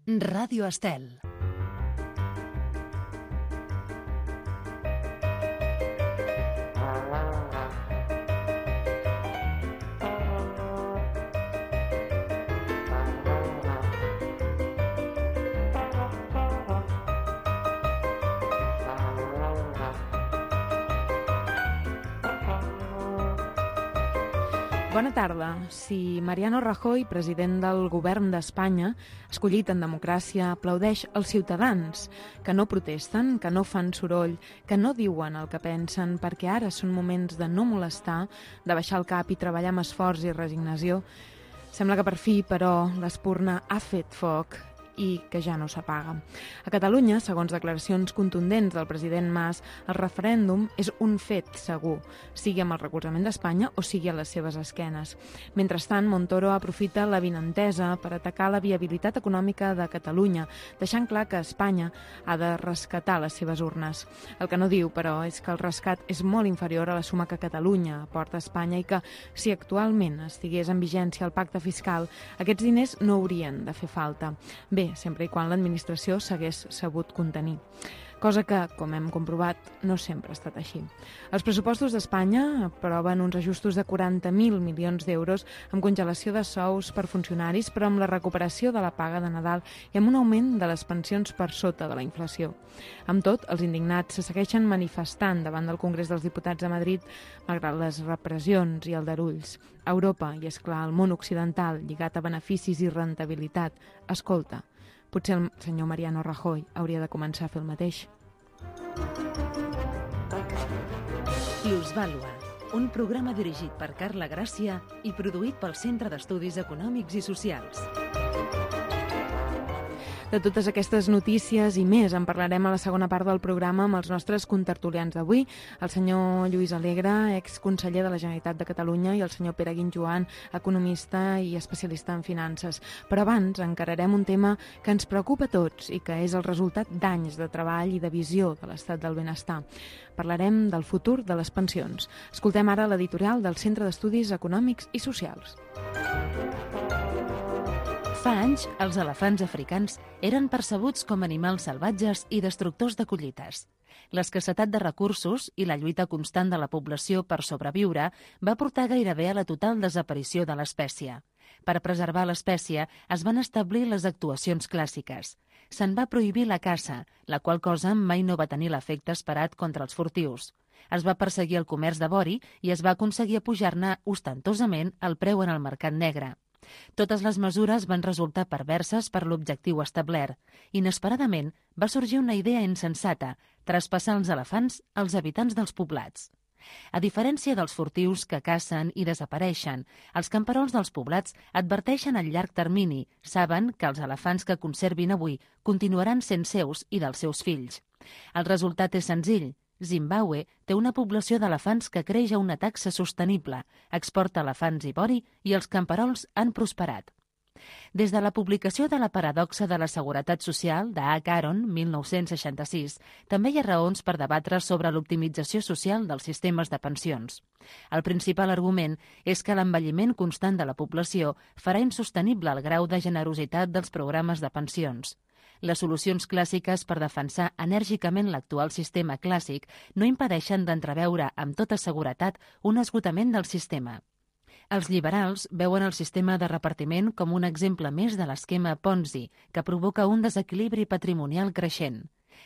Ràdio Estel. Bona tarda. Si Mariano Rajoy, president del govern d'Espanya, escollit en democràcia, aplaudeix els ciutadans que no protesten, que no fan soroll, que no diuen el que pensen, perquè ara són moments de no molestar, de baixar el cap i treballar amb esforç i resignació, sembla que per fi, però, l'espurna ha fet foc i que ja no s'apaga. A Catalunya, segons declaracions contundents del president Mas, el referèndum és un fet segur, sigui amb el recolzament d'Espanya o sigui a les seves esquenes. Mentrestant, Montoro aprofita l'avinentesa per atacar la viabilitat econòmica de Catalunya, deixant clar que Espanya ha de rescatar les seves urnes. El que no diu, però, és que el rescat és molt inferior a la suma que Catalunya aporta a Espanya i que, si actualment estigués en vigència el pacte fiscal, aquests diners no haurien de fer falta. Bé, sempre i quan l'administració s'hagués sabut contenir. Cosa que, com hem comprovat, no sempre ha estat així. Els pressupostos d'Espanya aproven uns ajustos de 40.000 milions d'euros amb congelació de sous per funcionaris, però amb la recuperació de la paga de Nadal i amb un augment de les pensions per sota de la inflació. Amb tot, els indignats se segueixen manifestant davant del Congrés dels Diputats a Madrid, malgrat les repressions i aldarulls. Europa i, esclar, el món occidental, lligat a beneficis i rentabilitat, escolta, potser el senyor Mariano Rajoy hauria de començar a fer el mateix. Plusvàlua, un programa dirigit per Carla Gràcia i produït pel Centre d'Estudis Econòmics i Socials. De totes aquestes notícies i més en parlarem a la segona part del programa amb els nostres contertulians d'avui, el senyor Lluís Alegre, exconseller de la Generalitat de Catalunya, i el senyor Pere Guinjoan, economista i especialista en finances. Però abans encararem un tema que ens preocupa a tots i que és el resultat d'anys de treball i de visió de l'estat del benestar. Parlarem del futur de les pensions. Escoltem ara l'editorial del Centre d'Estudis Econòmics i Socials. Fa anys, els elefants africans eren percebuts com animals salvatges i destructors de collites. L'escassetat de recursos i la lluita constant de la població per sobreviure va portar gairebé a la total desaparició de l'espècie. Per preservar l'espècie es van establir les actuacions clàssiques. Se'n va prohibir la caça, la qual cosa mai no va tenir l'efecte esperat contra els furtius. Es va perseguir el comerç de vori i es va aconseguir apujar-ne ostentosament el preu en el mercat negre. Totes les mesures van resultar perverses per l'objectiu establert. Inesperadament, va sorgir una idea insensata, traspassar els elefants als habitants dels poblats. A diferència dels furtius que cacen i desapareixen, els camperols dels poblats adverteixen a llarg termini, saben que els elefants que conservin avui continuaran sent seus i dels seus fills. El resultat és senzill. Zimbàbue té una població d'elefants que creix a una taxa sostenible, exporta elefants i vori i els camperols han prosperat. Des de la publicació de la paradoxa de la seguretat social de H. Aron, 1966, també hi ha raons per debatre sobre l'optimització social dels sistemes de pensions. El principal argument és que l'envelliment constant de la població farà insostenible el grau de generositat dels programes de pensions. Les solucions clàssiques per defensar enèrgicament l'actual sistema clàssic no impedeixen d'entreveure amb tota seguretat un esgotament del sistema. Els liberals veuen el sistema de repartiment com un exemple més de l'esquema Ponzi, que provoca un desequilibri patrimonial creixent.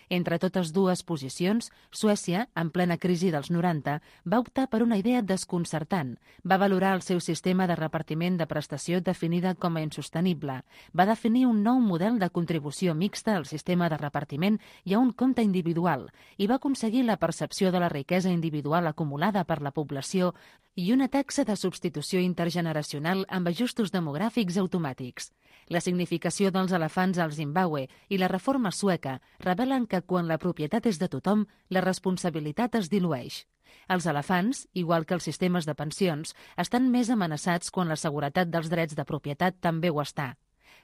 Entre totes dues posicions, Suècia, en plena crisi dels 90, va optar per una idea desconcertant. Va valorar el seu sistema de repartiment de prestació definida com a insostenible. Va definir un nou model de contribució mixta al sistema de repartiment i a un compte individual i va aconseguir la percepció de la riquesa individual acumulada per la població i una taxa de substitució intergeneracional amb ajustos demogràfics automàtics. La significació dels elefants al Zimbàbue i la reforma sueca revelen que quan la propietat és de tothom, la responsabilitat es dilueix. Els elefants, igual que els sistemes de pensions, estan més amenaçats quan la seguretat dels drets de propietat també ho està.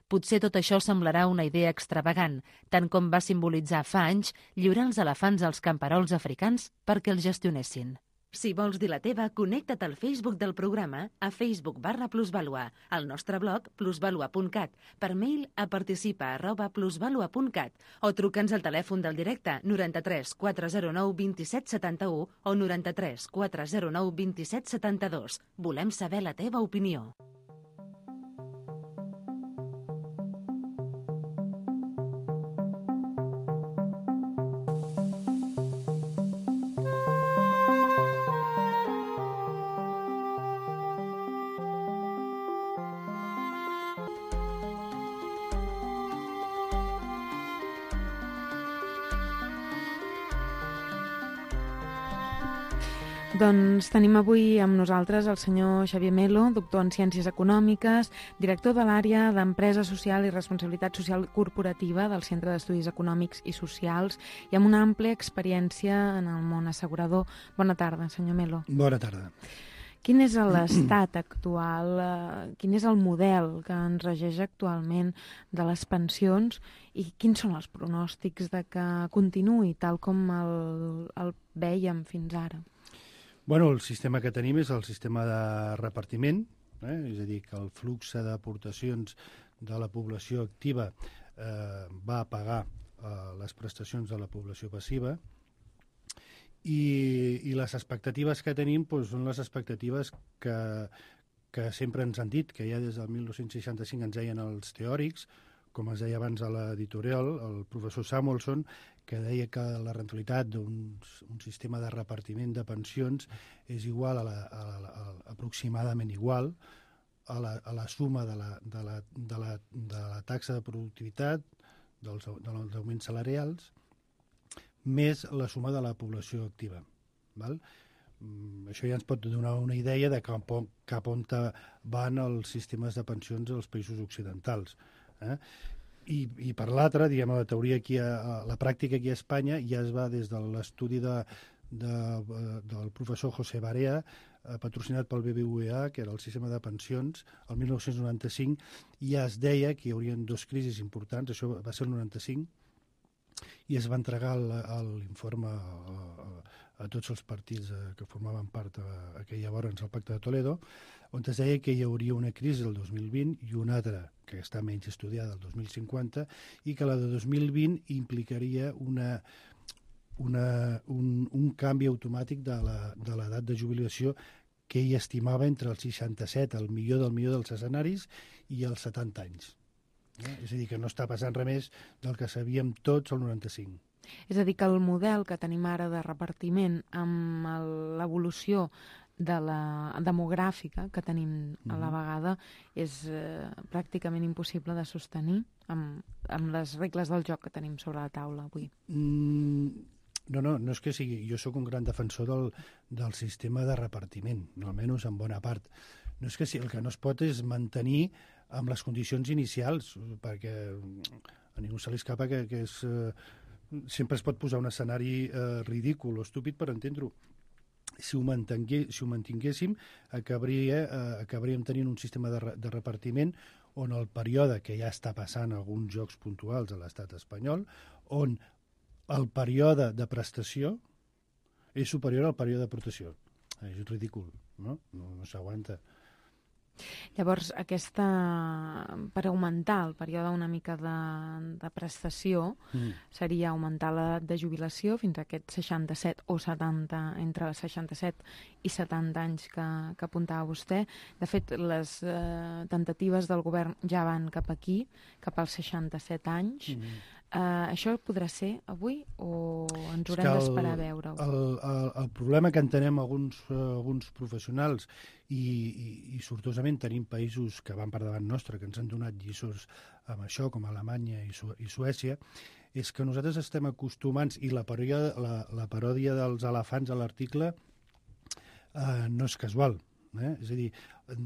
Potser tot això semblarà una idea extravagant, tant com va simbolitzar fa anys lliurar els elefants als camperols africans perquè els gestionessin. Si vols dir la teva, connecta't al Facebook del programa a Facebook/Plusvalua, al nostre blog plusvalua.cat, per mail a participa@plusvalua.cat o truca'ns al telèfon del directe 93 409 27 71 o 93 409 27 72. Volem saber la teva opinió. Doncs tenim avui amb nosaltres el senyor Xavier Melo, doctor en Ciències Econòmiques, director de l'àrea d'Empresa Social i Responsabilitat Social Corporativa del Centre d'Estudis Econòmics i Socials i amb una àmplia experiència en el món assegurador. Bona tarda, senyor Melo. Bona tarda. Quin és l'estat actual, quin és el model que ens regeix actualment de les pensions i quins són els pronòstics de que continuï tal com el vèiem fins ara? Bueno, el sistema que tenim és el sistema de repartiment, és a dir, que el flux d'aportacions de la població activa va a pagar les prestacions de la població passiva i les expectatives que tenim són les expectatives que sempre ens han dit, que ja des del 1965 ens deien els teòrics, com es deia abans a l'editorial, el professor Samuelson, que deia que la rentabilitat d'un sistema de repartiment de pensions és igual aproximadament igual a la suma de la taxa de productivitat, dels augments salarials, més la suma de la població activa. Val? Això ja ens pot donar una idea de cap on van els sistemes de pensions als països occidentals. I per l'altra, diguem, la teoria aquí, la pràctica aquí a Espanya ja es va des de l'estudi del professor José Barea, patrocinat pel BBVA, que era el sistema de pensions, el 1995, i ja es deia que hi haurien dos crisis importants, això va ser el 95, i es va entregar l'informe a tots els partits que formaven part aquella vora en el Pacte de Toledo, on es deia que hi hauria una crisi del 2020 i una altra, que està menys estudiada, el 2050, i que la de 2020 implicaria un canvi automàtic de l'edat de jubilació que ell estimava entre els 67, el millor dels escenaris, i els 70 anys. És a dir, que no està passant res més del que sabíem tots al 95. És a dir, que el model que tenim ara de repartiment amb l'evolució de la demogràfica que tenim a la vegada és pràcticament impossible de sostenir amb les regles del joc que tenim sobre la taula avui. No és que sigui. Jo sóc un gran defensor del sistema de repartiment, almenys en bona part. No és que el que no es pot és mantenir amb les condicions inicials, perquè a ningú se li escapa que sempre es pot posar un escenari ridícul o estúpid per entendre-ho. Si ho mantinguéssim, acabaríem tenint un sistema de repartiment on el període, que ja està passant alguns jocs puntuals a l'estat espanyol, on el període de prestació és superior al període d'aportació. És ridícul, no s'aguanta. Llavors, per augmentar el període una mica de prestació seria augmentar l'edat de jubilació fins a aquest 67 o 70, entre 67 i 70 anys que apuntava vostè. De fet, les tentatives del govern ja van cap aquí, cap als 67 anys. Això podrà ser avui o ens haurem d'esperar a veure-ho? El problema que entenem alguns professionals i sortosament tenim països que van per davant nostre, que ens han donat lliçons amb això, com Alemanya i Suècia, és que nosaltres estem acostumats, i la paròdia dels elefants a l'article no és casual. És a dir,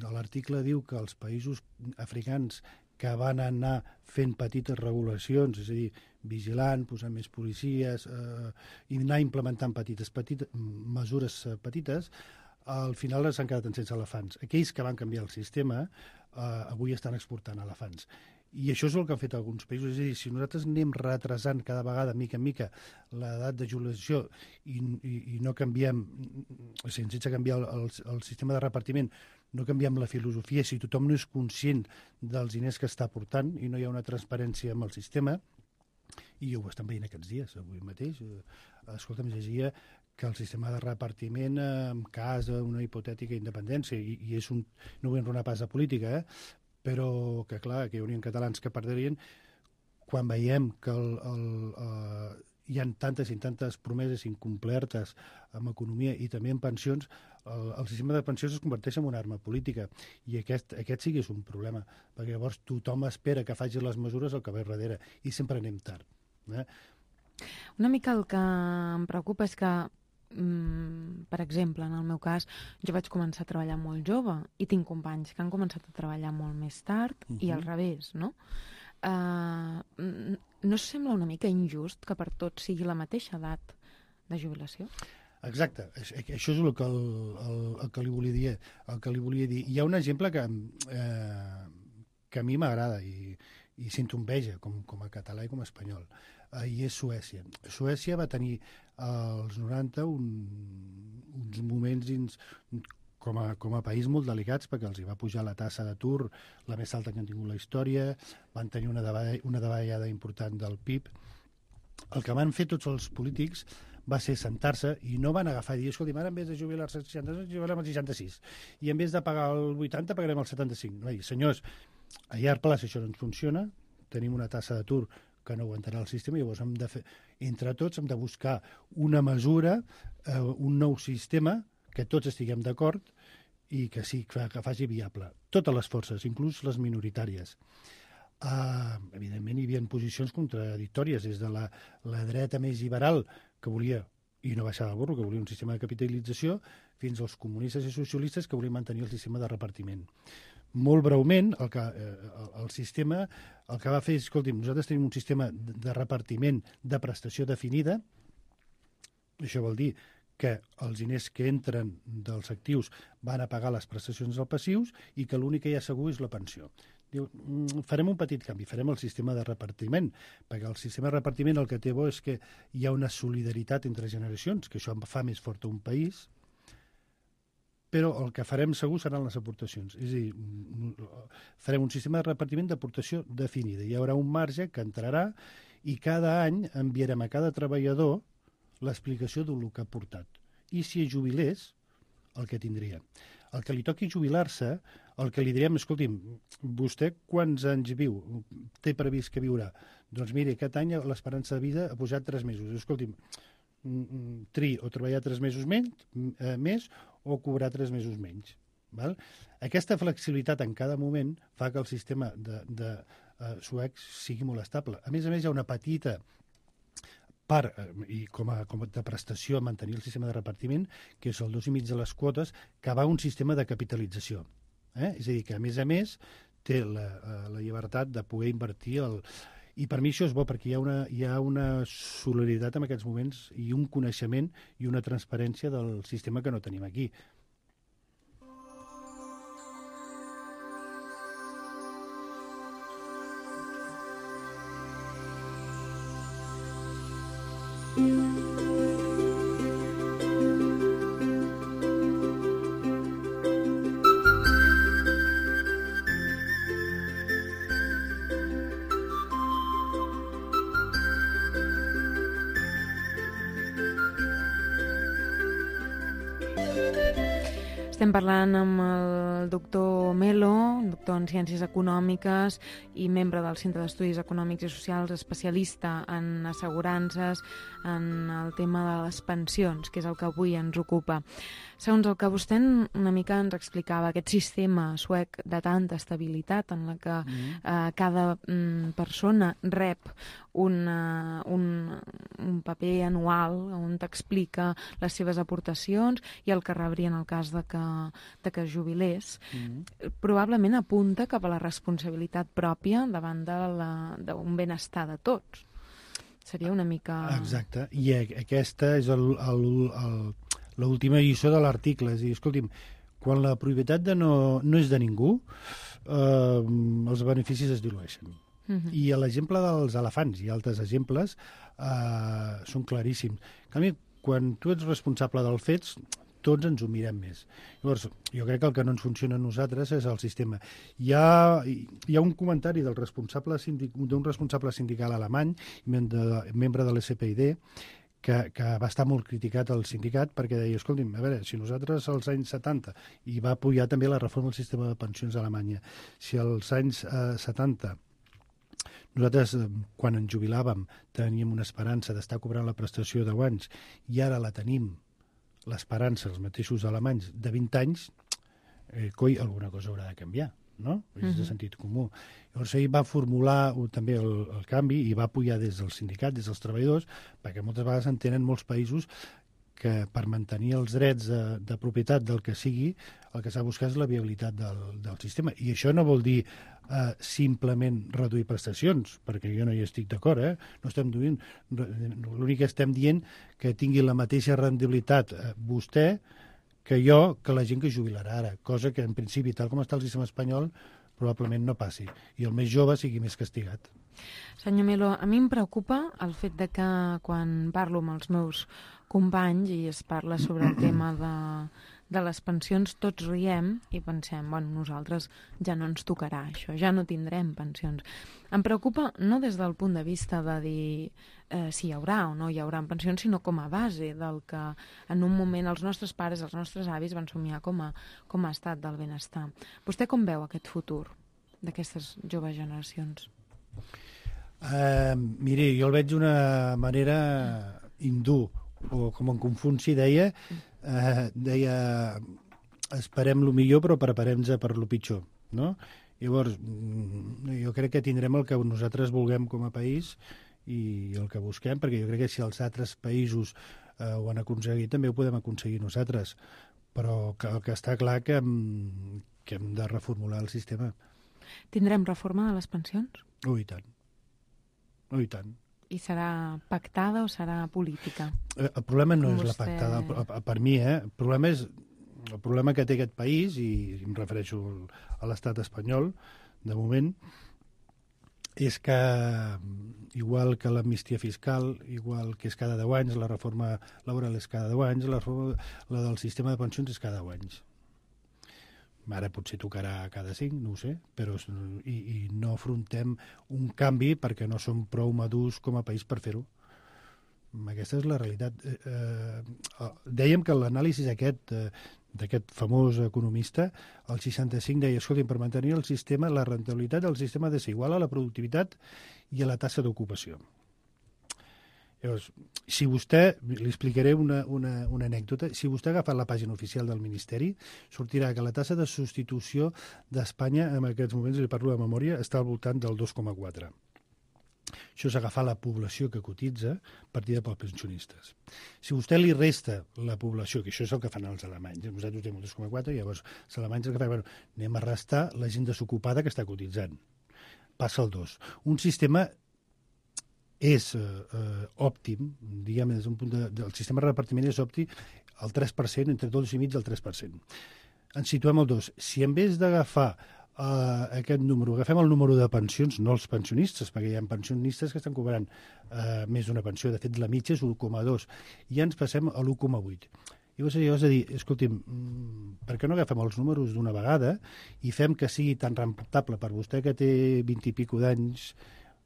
l'article diu que els països africans que van anar fent petites regulacions, és a dir, vigilant, posant més policies i anar implementant mesures petites, al final s'han quedat sense elefants. Aquells que van canviar el sistema avui estan exportant elefants. I això és el que han fet alguns països. És a dir, si nosaltres anem retrasant cada vegada, mica en mica, l'edat de jubilació i no canviem, o sigui, sense canviar el sistema de repartiment, no canviem la filosofia, si tothom no és conscient dels diners que està aportant i no hi ha una transparència amb el sistema, i ho estan veient aquests dies, avui mateix. Escolta'm, llegia que el sistema de repartiment en cas d'una hipotètica independència, i és no vull enronar pas de política, però que clar, que hi haurien catalans que perdrien quan veiem que hi ha tantes i tantes promeses incomplertes en economia i també en pensions. El sistema de pensions es converteix en una arma política, i aquest sí que és un problema, perquè llavors tothom espera que faci les mesures el que ve darrere, i sempre anem tard. Una mica el que em preocupa és que, per exemple, en el meu cas, jo vaig començar a treballar molt jove i tinc companys que han començat a treballar molt més tard i al revés, no? No us sembla una mica injust que per tots sigui la mateixa edat de jubilació? Exacte, això és el que li volia dir. Hi ha un exemple que a mi m'agrada i sento enveja com a català i com a espanyol, i és Suècia. Suècia va tenir als 90 uns moments com a país molt delicats, perquè els hi va pujar la tassa d'atur, la més alta que han tingut la història, van tenir una davallada important del PIB. El que van fer tots els polítics va ser sentar-se i no van agafar i dir, escolti, ara en vez de jubilar-se als 60, jubilarem als 66, i en vez de pagar el 80 pagarem el 75. Va dir, senyors, a llarg plaç això no ens funciona, tenim una tassa d'atur que no aguantarà el sistema, i llavors hem de fer, entre tots hem de buscar una mesura, un nou sistema que tots estiguem d'acord i que sí, que faci viable. Totes les forces, inclús les minoritàries. Evidentment hi havia posicions contradictòries, des de la dreta més liberal, que volia, i no baixar del burro, que volia un sistema de capitalització, fins als comunistes i socialistes que volien mantenir el sistema de repartiment. Molt breument, el sistema el que va fer és, escolti'm, nosaltres tenim un sistema de repartiment de prestació definida. Això vol dir que els diners que entren dels actius van a pagar les prestacions dels passius i que l'únic que hi ha segur és la pensió. Diu, farem un petit canvi, farem el sistema de repartiment, perquè el sistema de repartiment el que té bo és que hi ha una solidaritat entre generacions, que això fa més fort un país, però el que farem segur seran les aportacions. És a dir, farem un sistema de repartiment d'aportació definida. Hi haurà un marge que entrarà i cada any enviarem a cada treballador l'explicació del que ha aportat. I si es jubilés, el que tindria. El que li toqui jubilar-se, el que li direm, escolti'm, vostè quants anys viu? Té previst que viurà? Doncs miri, aquest any l'esperança de vida ha pujat 3 mesos. Escolti'm, triï o treballar 3 mesos més o cobrar 3 mesos menys. Val? Aquesta flexibilitat en cada moment fa que el sistema de suec sigui molt estable. A més, hi ha una petita part, i com a de prestació a mantenir el sistema de repartiment, que és el 2,5 de les quotes, que va a un sistema de capitalització. És a dir, que a més té la llibertat de poder invertir I per mi això és bo, perquè hi ha una solidaritat en aquests moments i un coneixement i una transparència del sistema que no tenim aquí. Estem parlant amb el doctor Melo, doctor en Ciències Econòmiques i membre del Centre d'Estudis Econòmics i Socials, especialista en assegurances, en el tema de les pensions, que és el que avui ens ocupa. Segons el que vostè una mica ens explicava, aquest sistema suec de tanta estabilitat en la que cada persona rep un paper anual on t'explica les seves aportacions i el que rebria en el cas de que es jubilés, probablement apunta cap a la responsabilitat pròpia davant d'un benestar de tots. Seria una mica... Exacte, i aquesta és l'última lliçó de l'article. És a dir, escolti'm, quan la propietat no és de ningú, els beneficis es dilueixen. I l'exemple dels elefants i altres exemples són claríssims. En canvi, quan tu ets responsable dels fets, tots ens ho mirem més. Llavors, jo crec que el que no ens funciona a nosaltres és el sistema. Hi ha un comentari d'un responsable sindical alemany, membre de l'SPID, que va estar molt criticat al sindicat perquè deia, escolti'm, a veure, si nosaltres als anys 70, i va apoyar també la reforma del sistema de pensions a Alemanya, si als anys 70 nosaltres, quan ens jubilàvem, teníem una esperança d'estar cobrant la prestació de 10 anys i ara la tenim, l'esperança, els mateixos alemanys, de 20 anys, coi, alguna cosa haurà de canviar, no? És de sentit comú. Llavors, ell va formular també el canvi i va apoyar des del sindicat, des dels treballadors, perquè moltes vegades en tenen molts països que per mantenir els drets de propietat del que sigui, el que s'ha de buscar és la viabilitat del sistema. I això no vol dir simplement reduir prestacions, perquè jo no hi estic d'acord, no estem duint. L'únic que estem dient que tingui la mateixa rendibilitat vostè que jo, que la gent que jubilarà ara, cosa que en principi, tal com està el sistema espanyol, probablement no passi, i el més jove sigui més castigat. Senyor Melo, a mi em preocupa el fet de que quan parlo amb els meus companys i es parla sobre el tema de les pensions, tots riem i pensem, bueno, nosaltres ja no ens tocarà això, ja no tindrem pensions. Em preocupa no des del punt de vista de dir si hi haurà o no hi haurà pensions, sinó com a base del que en un moment els nostres pares, els nostres avis van somiar com a estat del benestar. Vostè com veu aquest futur d'aquestes joves generacions? Miri, jo el veig d'una manera hindú, o com en Confuci deia esperem el millor però preparem-nos per lo pitjor, no? Llavors, jo crec que tindrem el que nosaltres vulguem com a país i el que busquem, perquè jo crec que si els altres països ho han aconseguit, també ho podem aconseguir nosaltres, però el que està clar que hem de reformular el sistema. Tindrem reforma de les pensions? I tant. I tant. I serà pactada o serà política? El problema no és la pactada, per mi, el problema que té aquest país, i em refereixo a l'estat espanyol, de moment, és que, igual que l'amnistia fiscal, igual que és cada 10 anys, la reforma laboral és cada 10 anys, la del sistema de pensions és cada 10 anys. Ara potser tocarà cada 5, no ho sé, però i no afrontem un canvi perquè no som prou madurs com a país per fer-ho. Aquesta és la realitat. Dèiem que l'anàlisi d'aquest famós economista, el 65, deia, escolta, per mantenir el sistema, la rendibilitat del sistema ha de ser igual a la productivitat i a la taxa d'ocupació. Llavors, si vostè, li explicaré una anècdota, si vostè ha agafat la pàgina oficial del Ministeri, sortirà que la taxa de substitució d'Espanya, en aquests moments, li parlo de memòria, està al voltant del 2,4. Això és agafar la població que cotitza partida pels pensionistes. Si vostè li resta la població, que això és el que fan els alemanys, nosaltres tenim el 2,4, llavors els alemanys el que fan, anem a restar la gent desocupada que està cotitzant. Passa el 2. Un sistema és òptim, diguem, des d'un punt el sistema de repartiment és òptim al 3%, entre 2,5 i el 3%. Ens situem al 2. Si en vez d'agafar aquest número, agafem el número de pensions, no els pensionistes, perquè hi ha pensionistes que estan cobrant més d'una pensió, de fet la mitja és 1,2, i ens passem a l'1,8. I llavors has de dir, escolti'm, per què no agafem els números d'una vegada i fem que sigui tan rentable per vostè que té 20 i pico d'anys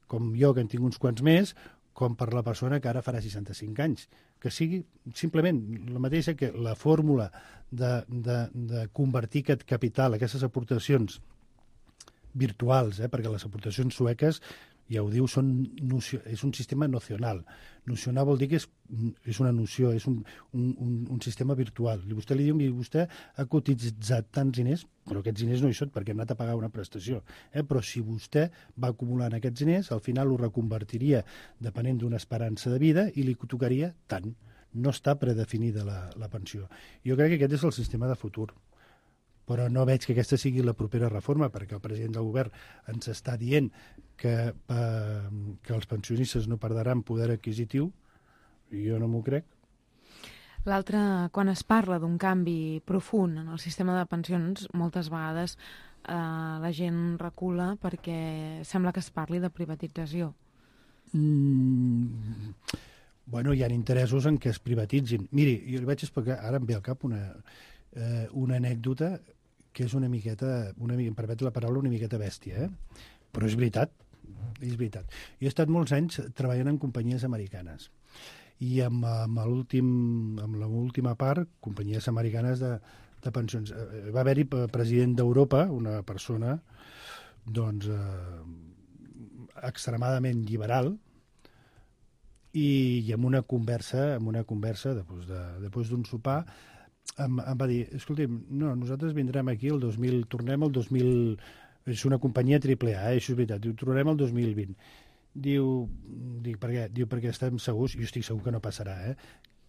com jo, que en tinc uns quants més, com per la persona que ara farà 65 anys. Que sigui simplement la mateixa, que la fórmula de convertir aquest capital, aquestes aportacions virtuals, perquè les aportacions sueques, ja ho diu, és un sistema nocional. Nocional vol dir que és una noció, és un sistema virtual. Vostè li diu, vostè ha cotitzat tants diners, però aquests diners no hi són perquè hem anat a pagar una prestació. Però si vostè va acumulant aquests diners, al final ho reconvertiria depenent d'una esperança de vida i li tocaria tant. No està predefinida la pensió. Jo crec que aquest és el sistema de futur. Però no veig que aquesta sigui la propera reforma, perquè el president del govern ens està dient que els pensionistes no perdran poder adquisitiu, i jo no m'ho crec. L'altre, quan es parla d'un canvi profund en el sistema de pensions, moltes vegades la gent recula perquè sembla que es parli de privatització. Bueno, hi ha interessos en què es privatitzin. Miri, jo li vaig explicar, ara em ve al cap una anècdota que és una miqueta, em permet la paraula, una miqueta bèstia, però és veritat. Jo he estat molts anys treballant en companyies americanes i amb l'última part, companyies americanes de pensions. Va haver-hi president d'Europa, una persona doncs extremadament liberal, i amb una conversa després d'un sopar em va dir, escolti'm, no, nosaltres vindrem aquí tornem al 2000, és una companyia AAA, això és veritat, tornem al 2020. Dic, per què? Diu, perquè estem segurs, jo estic segur que no passarà,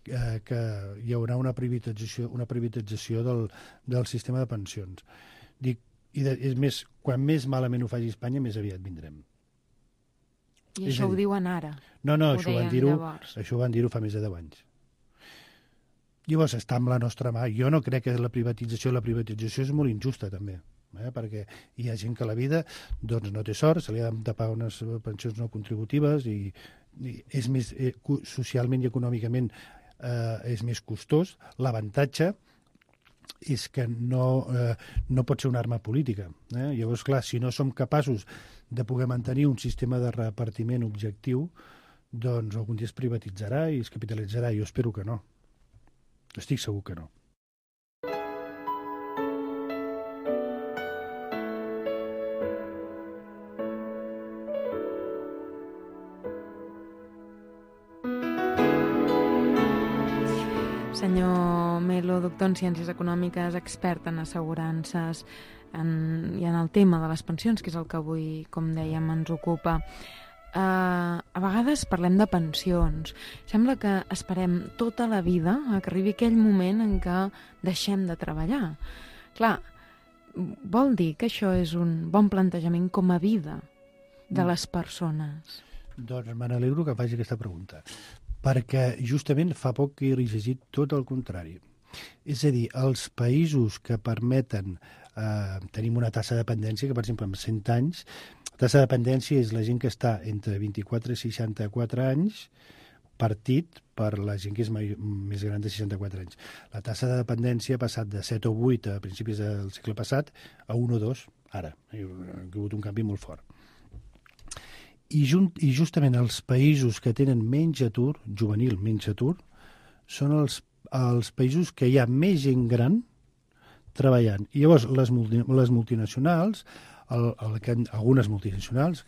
que hi haurà una privatització del sistema de pensions. Dic, és més, quan més malament ho faci Espanya, més aviat vindrem. I això ho diuen ara? No, això ho van dir-ho fa més de 10 anys. Llavors està amb la nostra mà. Jo no crec que la privatització és molt injusta, també, perquè hi ha gent que a la vida doncs, no té sort, se li ha de tapar unes pensions no contributives i és més, socialment i econòmicament és més costós. L'avantatge és que no pot ser una arma política. Llavors, clar, si no som capaços de poder mantenir un sistema de repartiment objectiu, doncs algun dia es privatitzarà i es capitalitzarà. Jo espero que no. Estic segur que no. Senyor Melo, doctor en Ciències Econòmiques, expert en assegurances i en el tema de les pensions, que és el que avui, com dèiem, ens ocupa. A vegades parlem de pensions. Sembla que esperem tota la vida a que arribi aquell moment en què deixem de treballar. Clar, vol dir que això és un bon plantejament com a vida de les persones? Doncs me n'alegro que faci aquesta pregunta, perquè justament fa poc que he llegit tot el contrari. És a dir, els països que permeten tenim una tassa de dependència que, per exemple, amb 100 anys, la tassa de dependència és la gent que està entre 24 i 64 anys partit per la gent que és més gran de 64 anys. La tassa de dependència ha passat de 7 o 8 a principis del segle passat a 1 o 2 ara. Hi ha hagut un canvi molt fort. I justament els països que tenen menys atur, juvenil, menys atur, són els països que hi ha més gent gran treballant. I llavors les multinacionals, algunes multinacionals,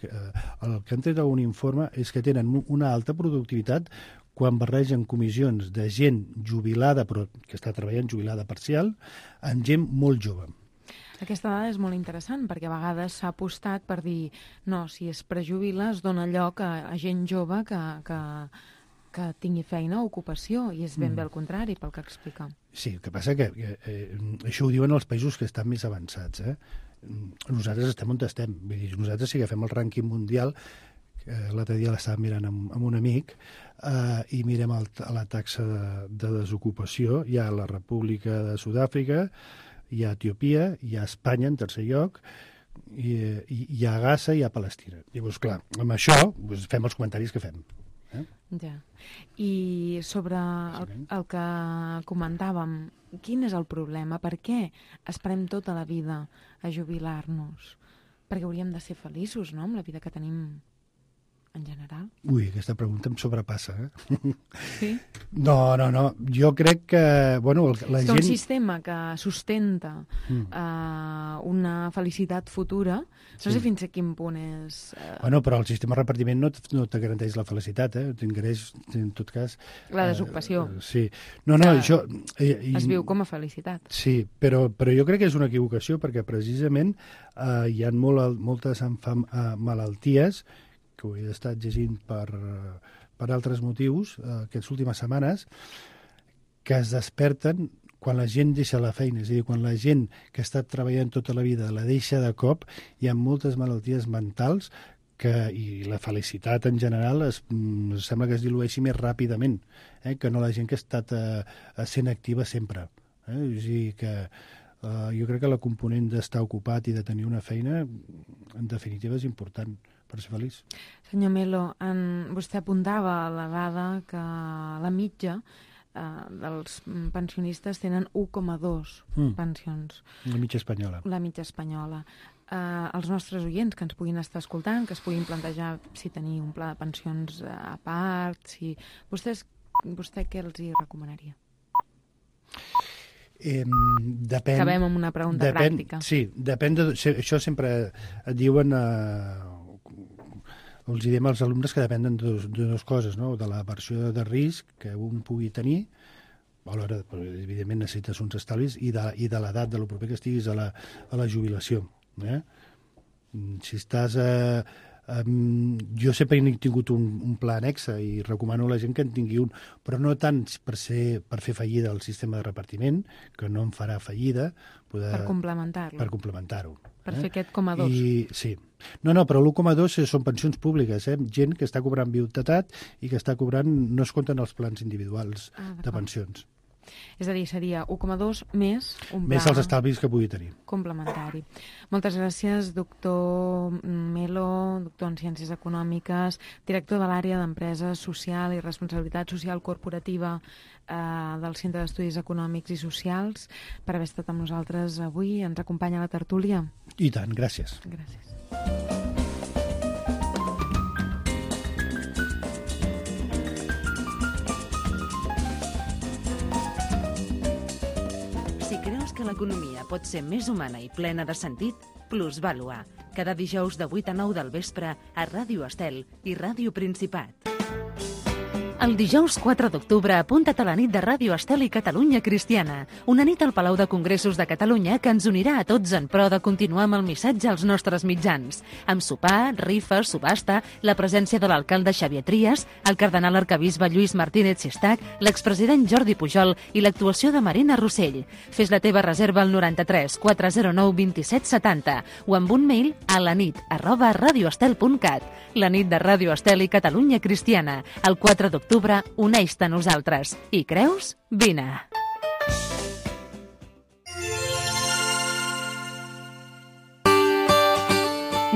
el que han tret un informe és que tenen una alta productivitat quan barregen comissions de gent jubilada, però que està treballant jubilada parcial, amb gent molt jove. Aquesta dada és molt interessant perquè a vegades s'ha apostat per dir no, si es prejubila es dona lloc a gent jove que tingui feina o ocupació, i és ben bé el contrari pel que explica. Sí, el que passa que això ho diuen els països que estan més avançats. Nosaltres estem on estem. Vull dir, nosaltres si agafem el rànquing mundial, l'altre dia l'estàvem mirant amb un amic, i mirem la taxa de desocupació. Hi ha la República de Sud-àfrica, hi ha Etiòpia, hi ha Espanya en tercer lloc, hi ha Gaza i hi ha Palestina. Llavors, clar, amb això fem els comentaris que fem. Ja. I sobre el que comentàvem, quin és el problema? Per què esperem tota la vida a jubilar-nos? Perquè hauríem de ser feliços, no?, amb la vida que tenim en general. Ui, aquesta pregunta em sobrepassa, Sí? No. Jo crec que, bueno, la gent... un sistema que sustenta una felicitat futura, no sé fins a quin punt és... Bueno, però el sistema de repartiment no te garanteix la felicitat, t'ingreix, en tot cas... La desocupació. Sí. No, això... Es viu com a felicitat. Sí, però jo crec que és una equivocació, perquè precisament hi ha moltes malalties que ho he estat llegint per altres motius aquestes últimes setmanes, que es desperten quan la gent deixa la feina. És a dir, quan la gent que ha estat treballant tota la vida la deixa de cop, hi ha moltes malalties mentals i la felicitat en general sembla que es dilueixi més ràpidament que no la gent que ha estat sent activa sempre. És a dir, que jo crec que la component d'estar ocupat i de tenir una feina, en definitiva, és important per ser feliç. Senyor Melo, vostè apuntava a la dada que la mitja dels pensionistes tenen 1,2 pensions. La mitja espanyola. La mitja espanyola. Els nostres oients que ens puguin estar escoltant, que es puguin plantejar si tenir un pla de pensions a part, si... Vostè què els hi recomanaria? Depèn... Acabem amb una pregunta pràctica. Sí, depèn de... Això sempre et diuen... els diem als alumnes que depenen de dues coses, no? De la versió de risc que un pugui tenir, alhora, evidentment, necessites uns estalvis, i de l'edat, de lo proper que estiguis a la jubilació. Si estàs... jo sempre he tingut un pla annexe i recomano a la gent que en tingui un, però no tant per fer fallida el sistema de repartiment, que no em farà fallida. Per complementar-lo. Per complementar-ho. Per fer aquest 1,2. Sí. No, però l'1,2 són pensions públiques, gent que està cobrant viudetat i que està cobrant, no es compten els plans individuals de pensions. És a dir, seria 1,2 més un pla... Més els estalvis que pugui tenir. Complementari. Moltes gràcies, doctor Melo, doctor en Ciències Econòmiques, director de l'àrea d'Empresa Social i Responsabilitat Social Corporativa del Centre d'Estudis Econòmics i Socials, per haver estat amb nosaltres avui. Ens acompanya a la tertúlia. I tant, gràcies. Gràcies. Si creus que l'economia pot ser més humana i plena de sentit, Plusvàlua, cada dijous de 8 a 9 del vespre a Ràdio Estel i Ràdio Principat. El dijous 4 d'octubre apunta't a la nit de Ràdio Estel i Catalunya Cristiana, una nit al Palau de Congressos de Catalunya que ens unirà a tots en pro de continuar amb el missatge als nostres mitjans, amb sopar, rifes, subhasta, la presència de l'alcalde Xavier Trias, el cardenal arquebisbe Lluís Martínez Sestac, l'expresident Jordi Pujol i l'actuació de Marina Rossell. Fes la teva reserva al 93 409 27 70 o amb un mail a lanit@radioestel.cat. La nit de Ràdio Estel i Catalunya Cristiana, el 4 d'octubre, uneix-te a nosaltres. I creus? Vine!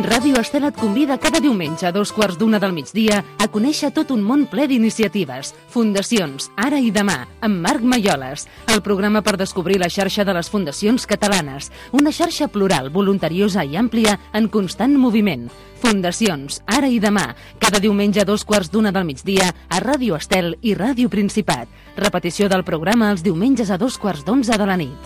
Ràdio Estel et convida cada diumenge a 2:15 del migdia a conèixer tot un món ple d'iniciatives, fundacions, ara i demà, amb Marc Maioles, el programa per descobrir la xarxa de les fundacions catalanes, una xarxa plural, voluntariosa i àmplia en constant moviment. Fundacions, ara i demà, cada diumenge a 2:15 del migdia a Ràdio Estel i Ràdio Principat. Repetició del programa els diumenges a 2:15 de la nit.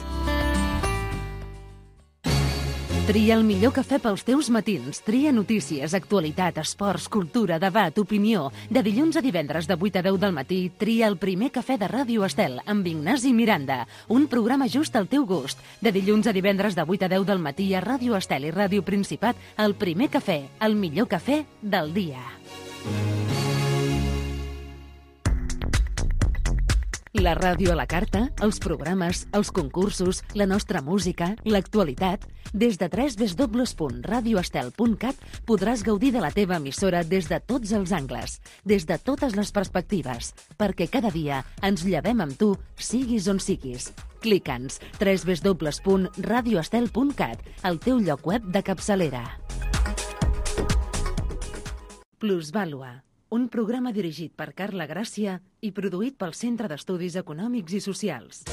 Tria el millor cafè pels teus matins. Tria notícies, actualitat, esports, cultura, debat, opinió. De dilluns a divendres de 8 a 10 del matí, tria el primer cafè de Ràdio Estel amb Ignasi Miranda. Un programa just al teu gust. De dilluns a divendres de 8 a 10 del matí a Ràdio Estel i Ràdio Principat, el primer cafè, el millor cafè del dia. La ràdio a la carta, els programes, els concursos, la nostra música, l'actualitat. Des de www.radioestel.cat podràs gaudir de la teva emissora des de tots els angles, des de totes les perspectives, perquè cada dia ens llevem amb tu, siguis on siguis. Clica'ns www.radioestel.cat, el teu lloc web de capçalera. Plusvàlua, un programa dirigit per Carla Gràcia i produït pel Centre d'Estudis Econòmics i Socials.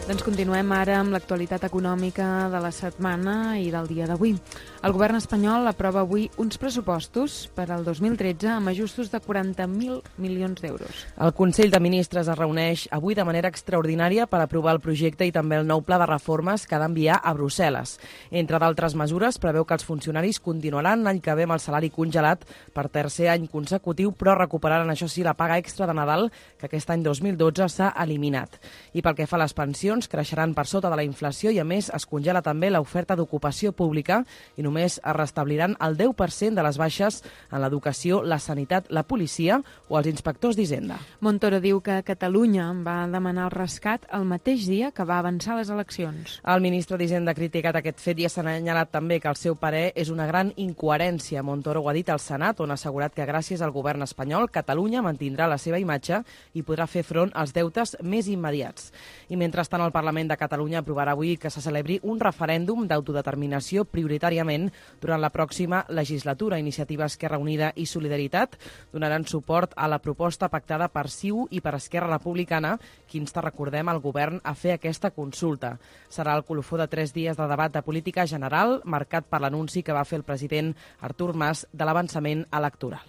Doncs continuem ara amb l'actualitat econòmica de la setmana i del dia d'avui. El govern espanyol aprova avui uns pressupostos per al 2013 amb ajustos de 40.000 milions d'euros. El Consell de Ministres es reuneix avui de manera extraordinària per aprovar el projecte i també el nou pla de reformes que ha d'enviar a Brussel·les. Entre d'altres mesures, preveu que els funcionaris continuaran l'any que ve amb el salari congelat per tercer any consecutiu, però recuperaran, això sí, la paga extra de Nadal, que aquest any 2012 s'ha eliminat. I pel que fa a les pensions, creixeran per sota de la inflació i, a més, es congela també l'oferta d'ocupació pública i només només es restabliran el 10% de les baixes en l'educació, la sanitat, la policia o els inspectors d'Hisenda. Montoro diu que Catalunya va demanar el rescat el mateix dia que va avançar les eleccions. El ministre d'Hisenda ha criticat aquest fet i ha assenyalat també que el seu parer és una gran incoherència. Montoro ho ha dit al Senat, on ha assegurat que gràcies al govern espanyol, Catalunya mantindrà la seva imatge i podrà fer front als deutes més immediats. I mentrestant, el Parlament de Catalunya aprovarà avui que se celebri un referèndum d'autodeterminació prioritàriament durant la pròxima legislatura. Iniciativa Esquerra Unida i Solidaritat donaran suport a la proposta pactada per CiU i per Esquerra Republicana, que insta, recordem, al govern a fer aquesta consulta. Serà el colofó de 3 dies de debat de política general, marcat per l'anunci que va fer el president Artur Mas de l'avançament electoral.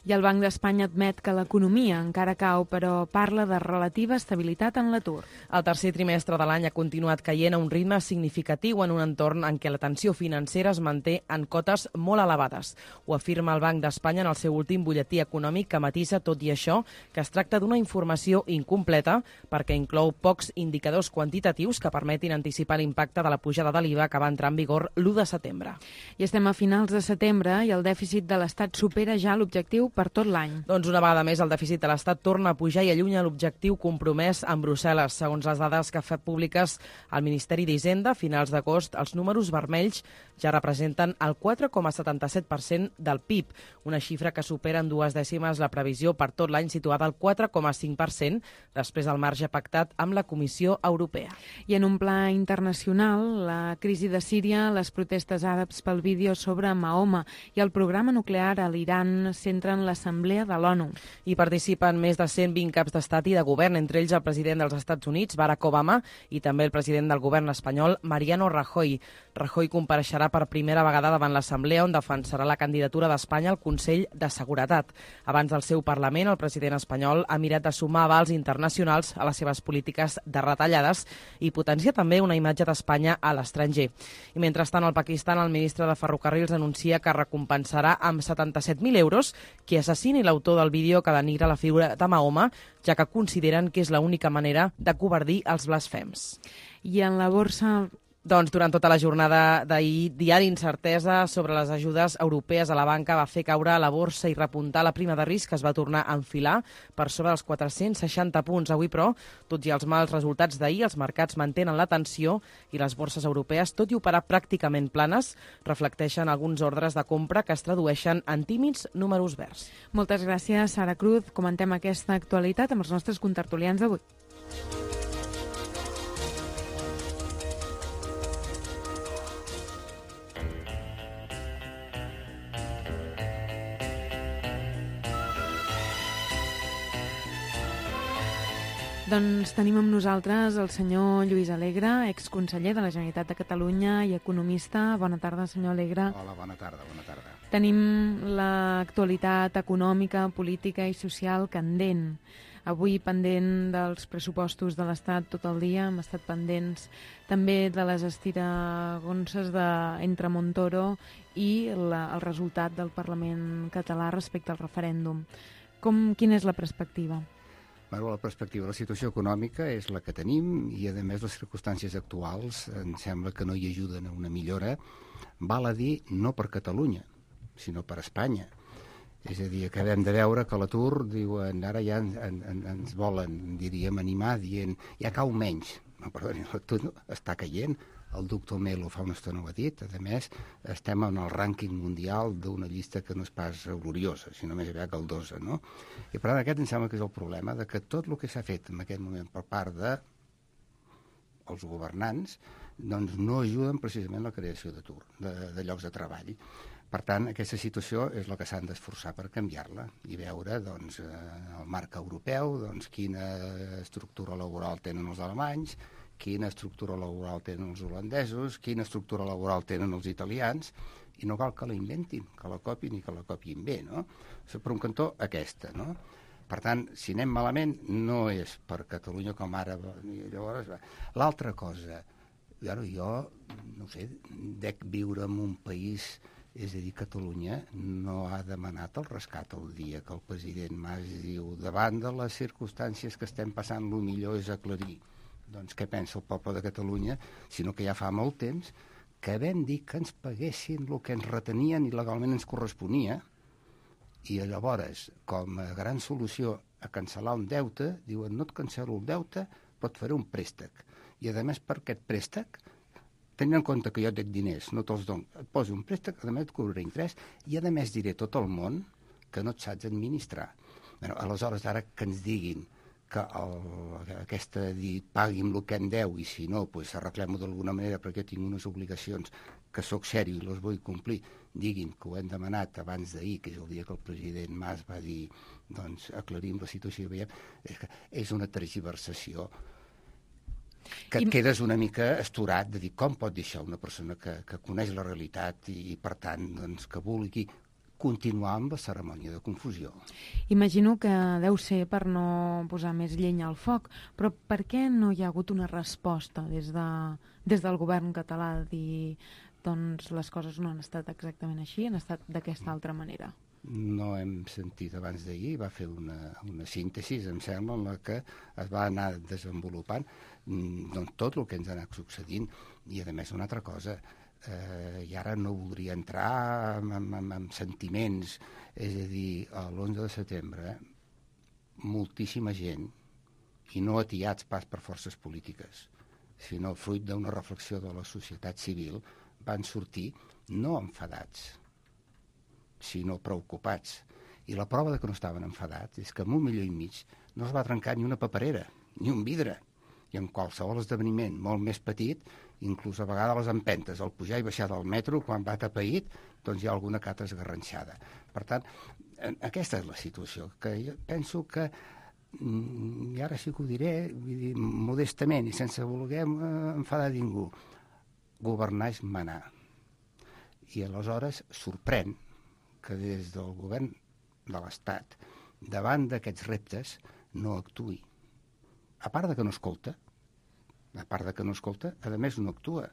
I el Banc d'Espanya admet que l'economia encara cau, però parla de relativa estabilitat en l'atur. El tercer trimestre de l'any ha continuat caient a un ritme significatiu en un entorn en què la tensió financera es manté en cotes molt elevades. Ho afirma el Banc d'Espanya en el seu últim butlletí econòmic, que matisa, tot i això, que es tracta d'una informació incompleta perquè inclou pocs indicadors quantitatius que permetin anticipar l'impacte de la pujada de l'IVA que va entrar en vigor l'1 de setembre. I estem a finals de setembre i el dèficit de l'Estat supera ja l'objectiu per tot l'any. Doncs una vegada més el dèficit de l'Estat torna a pujar i allunya l'objectiu compromès amb Brussel·les. Segons les dades que ha fet públiques el Ministeri d'Hisenda, a finals d'agost els números vermells ja representen el 4,77% del PIB, una xifra que supera en 2 dècimes la previsió per tot l'any, situada al 4,5%, després del marge pactat amb la Comissió Europea. I en un pla internacional, la crisi de Síria, les protestes àrabs pel vídeo sobre Mahoma i el programa nuclear a l'Iran centren l'Assemblea de l'ONU. Hi participen més de 120 caps d'estat i de govern, entre ells el president dels Estats Units, Barack Obama, i també el president del govern espanyol, Mariano Rajoy. Rajoy compareixerà per primera vegada davant l'Assemblea, on defensarà la candidatura d'Espanya al Consell de Seguretat. Abans del seu Parlament, el president espanyol ha mirat de sumar avals internacionals a les seves polítiques de retallades i potencia també una imatge d'Espanya a l'estranger. I mentrestant, al Pakistan, el ministre de Ferrocarrils anuncia que recompensarà amb 77.000 euros qui assassini l'autor del vídeo que denigra la figura de Mahoma, ja que consideren que és l'única manera de covardir els blasfems. I en la borsa... Doncs durant tota la jornada d'ahir, dia d'incertesa sobre les ajudes europees a la banca va fer caure la borsa i repuntar la prima de risc, que es va tornar a enfilar per sobre dels 460 punts. Avui, però, tot i els mals resultats d'ahir, els mercats mantenen la tensió i les borses europees, tot i operar pràcticament planes, reflecteixen alguns ordres de compra que es tradueixen en tímids números verds. Moltes gràcies, Sara Cruz. Comentem aquesta actualitat amb els nostres contertulians d'avui. Doncs tenim amb nosaltres el senyor Lluís Alegre, exconseller de la Generalitat de Catalunya i economista. Bona tarda, senyor Alegre. Hola, bona tarda, bona tarda. Tenim l'actualitat econòmica, política i social candent. Avui pendent dels pressupostos de l'Estat tot el dia, hem estat pendents també de les estiragonses entre Montoro i el resultat del Parlament català respecte al referèndum. Quina és la perspectiva? Bueno, la perspectiva de la situació econòmica és la que tenim i, a més, les circumstàncies actuals em sembla que no hi ajuden a una millora. Val a dir, no per Catalunya, sinó per Espanya. És a dir, acabem de veure que l'atur, diuen, ara ja ens volen, diríem, animar, dient, ja cau menys. No, perdoni, l'atur està caient. El doctor Melo fa una estona ho ha dit. A més, estem en el rànquing mundial d'una llista que no és pas gloriosa, sinó més aviat galdosa, no? I per tant, aquest em sembla que és el problema, de que tot el que s'ha fet en aquest moment per part dels governants doncs no ajuden precisament a la creació d'atur, de llocs de treball. Per tant, aquesta situació és la que s'han d'esforçar per canviar-la i veure doncs, el marc europeu, doncs, quina estructura laboral tenen els alemanys, quina estructura laboral tenen els holandesos, quina estructura laboral tenen els italians, i no cal que la inventin, que la copin i que la copin bé, no? Per un cantó, aquesta, no? Per tant, si anem malament, no és per Catalunya com ara. Llavors, l'altra cosa, jo, no sé, dec viure en un país, és a dir, Catalunya no ha demanat el rescat el dia que el president Mas diu, davant de les circumstàncies que estem passant, el millor és aclarir doncs què pensa el poble de Catalunya, sinó que ja fa molt temps que vam dir que ens paguessin el que ens retenien i legalment ens corresponia, i llavors, com a gran solució a cancel·lar un deute, diuen no et cancel·lo el deute, però et faré un préstec. I a més per aquest préstec, tenint en compte que jo et dic diners, no te'ls dono, et poso un préstec, a més et cobraré interès, i a més diré tot el món que no et saps administrar. Bueno, aleshores, ara que ens diguin que pagui'm el que em deu i si no, pues, arreglem-ho d'alguna manera perquè tinc unes obligacions que sóc sèrio i les vull complir, diguin que ho hem demanat abans d'ahir, que és el dia que el president Mas va dir doncs aclarim la situació i veiem, és una tergiversació que et quedes una mica astorat de dir com pot dir això una persona que coneix la realitat i per tant doncs, que vulgui continuar amb la cerimònia de confusió. Imagino que deu ser per no posar més llenya al foc, però per què no hi ha hagut una resposta des del govern català de dir doncs les coses no han estat exactament així, han estat d'aquesta altra manera? No hem sentit abans d'ahir, va fer una síntesi, em sembla, en la que es va anar desenvolupant doncs, tot el que ens ha anat succeint i a més una altra cosa, i ara no voldria entrar en sentiments, és a dir, l'11 de setembre moltíssima gent, i no atiats pas per forces polítiques, sinó fruit d'una reflexió de la societat civil, van sortir no enfadats, sinó preocupats. I la prova de que no estaven enfadats és que en 1,5 milió no es va trencar ni una paperera, ni un vidre. I en qualsevol esdeveniment molt més petit, inclús a vegades les empentes, al pujar i baixar del metro, quan va tapeït, doncs hi ha alguna que altra esgarranxada. Per tant, aquesta és la situació, que jo penso que, i ara sí que ho diré, vull dir, modestament i sense voler enfadar ningú, governar és manar. I aleshores sorprèn que des del govern de l'Estat, davant d'aquests reptes, no actuï. A part de que no escolta, a més no actua.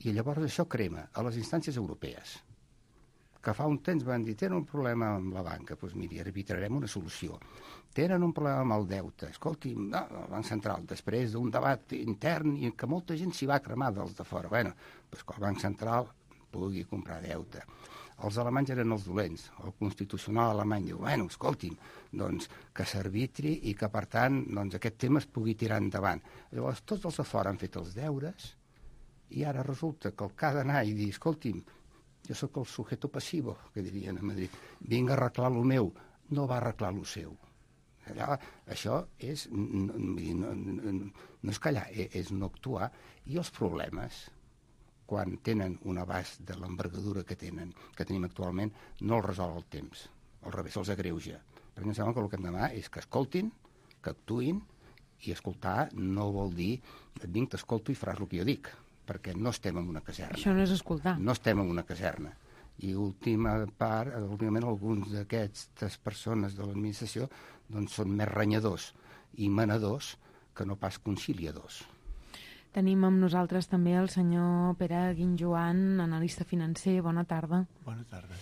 I llavors això crema a les instàncies europees, que fa un temps van dir tenen un problema amb la banca, doncs miri, arbitrarem una solució. Tenen un problema amb el deute, escolti, no, el Banc Central, després d'un debat intern i que molta gent s'hi va cremar dels de fora, bueno, doncs que el Banc Central pugui comprar deute. Els alemanys eren els dolents. El constitucional alemany diu, bueno, escolti'm, doncs que s'arbitri i que, per tant, doncs, aquest tema es pugui tirar endavant. Llavors, tots els de fora han fet els deures i ara resulta que el que ha d'anar i dir, escolti'm, jo sóc el sujeto passivo, que dirien a Madrid, vinc a arreglar lo meu, no va arreglar lo seu. Allà, això és, no és callar, és no actuar. I els problemes, quan tenen un abast de l'envergadura que tenim actualment, no el resol el temps. Al revés, els agreuja. Perquè em sembla que el que hem de demanar és que escoltin, que actuïn, i escoltar no vol dir et vinc, t'escolto i faràs el que jo dic, perquè no estem en una caserna. Això no és escoltar. No estem en una caserna. I últimament alguns d'aquestes persones de l'administració doncs són més renyadors i manadors que no pas conciliadors. Tenim amb nosaltres també el senyor Pere Guinjoan, analista financer. Bona tarda. Bona tarda.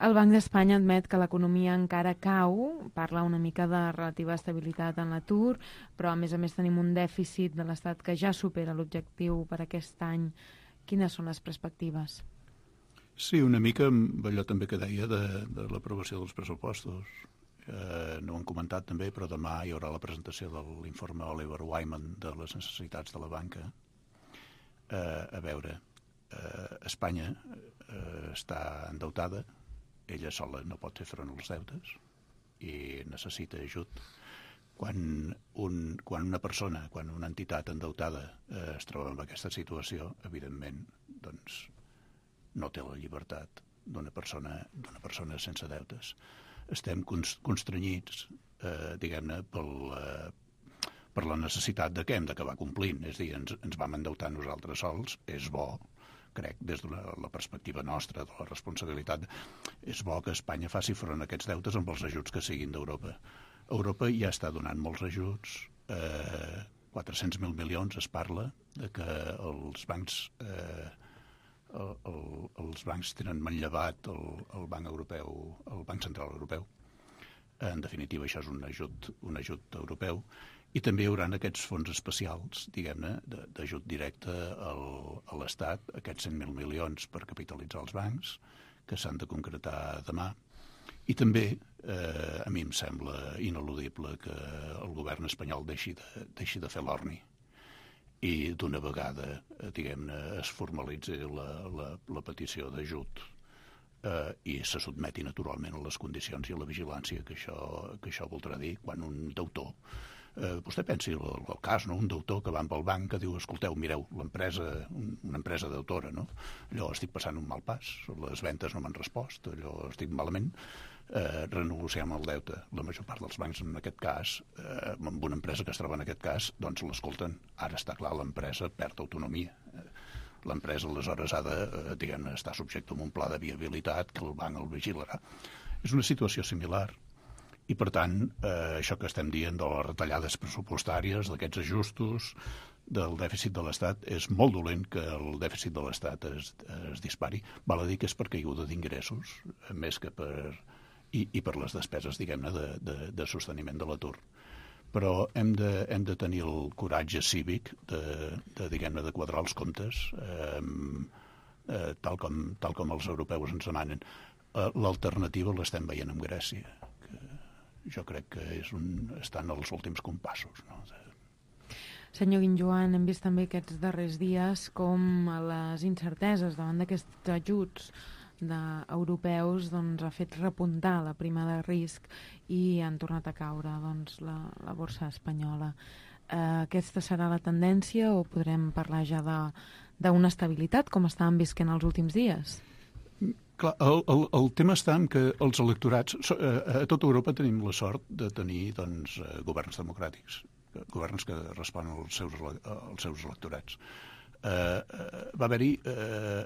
El Banc d'Espanya admet que l'economia encara cau, parla una mica de relativa estabilitat en l'atur, però a més tenim un dèficit de l'Estat que ja supera l'objectiu per aquest any. Quines són les perspectives? Sí, una mica amb allò també que deia de l'aprovació dels pressupostos. No ho hem comentat també, però demà hi haurà la presentació de l'informe Oliver Wyman de les necessitats de la banca. A veure, Espanya està endeutada, ella sola no pot fer front als deutes i necessita ajut. Quan una persona, quan una entitat endeutada es troba en aquesta situació, evidentment, doncs, no té la llibertat d'una persona sense deutes. Estem constrenyits, diguem-ne, per la necessitat de que hem d'acabar complint. És a dir, ens vam endeutar nosaltres sols, és bo, crec, des de la perspectiva nostra, de la responsabilitat, és bo que Espanya faci front a aquests deutes amb els ajuts que siguin d'Europa. Europa ja està donant molts ajuts, 400.000 milions es parla, de que els bancs tenen manllevat el Banc Europeu, el Banc Central Europeu. En definitiva, això és un ajut europeu. I també hi haurà aquests fons especials, diguem-ne, d'ajut directe a l'Estat, aquests 100.000 milions per capitalitzar els bancs, que s'han de concretar demà. I també, a mi em sembla ineludible que el govern espanyol deixi de fer l'orni i d'una vegada, diguem-ne, es formalitzi la petició d'ajut i se sotmeti naturalment a les condicions i a la vigilància que això voldrà dir quan un deutor. Vostè pensi el cas, no? Un deutor que va amb el banc que diu, escolteu, mireu, una empresa deutora, no? Allò estic passant un mal pas, les ventes no m'han respost, allò estic malament, renegociem el deute. La major part dels bancs, en aquest cas, amb una empresa que es troba en aquest cas, doncs l'escolten. Ara està clar, l'empresa perd autonomia. L'empresa, aleshores, ha de, diguem-ne, estar subjecte a un pla de viabilitat que el banc el vigilarà. És una situació similar. I, per tant, això que estem dient de les retallades pressupostàries, d'aquests ajustos, del dèficit de l'Estat, és molt dolent que el dèficit de l'Estat es dispari. Val a dir que és per caiguda d'ingressos, més que per... i per les despeses, diguem-ne, de sosteniment de l'atur. Però hem de tenir el coratge cívic diguem-ne, de quadrar els comptes, tal com els europeus ens demanen. L'alternativa l'estem veient amb Grècia, jo crec que estan als últims compassos. No? Senyor Guinjoan, hem vist també aquests darrers dies com les incerteses davant d'aquests ajuts europeus ha fet repuntar la prima de risc i han tornat a caure la borsa espanyola. Aquesta serà la tendència o podrem parlar ja d'una estabilitat com estàvem visquent els últims dies? Clar, el tema està en que els electorats... A tota Europa tenim la sort de tenir governs democràtics, governs que responen als seus electorats. Va haver-hi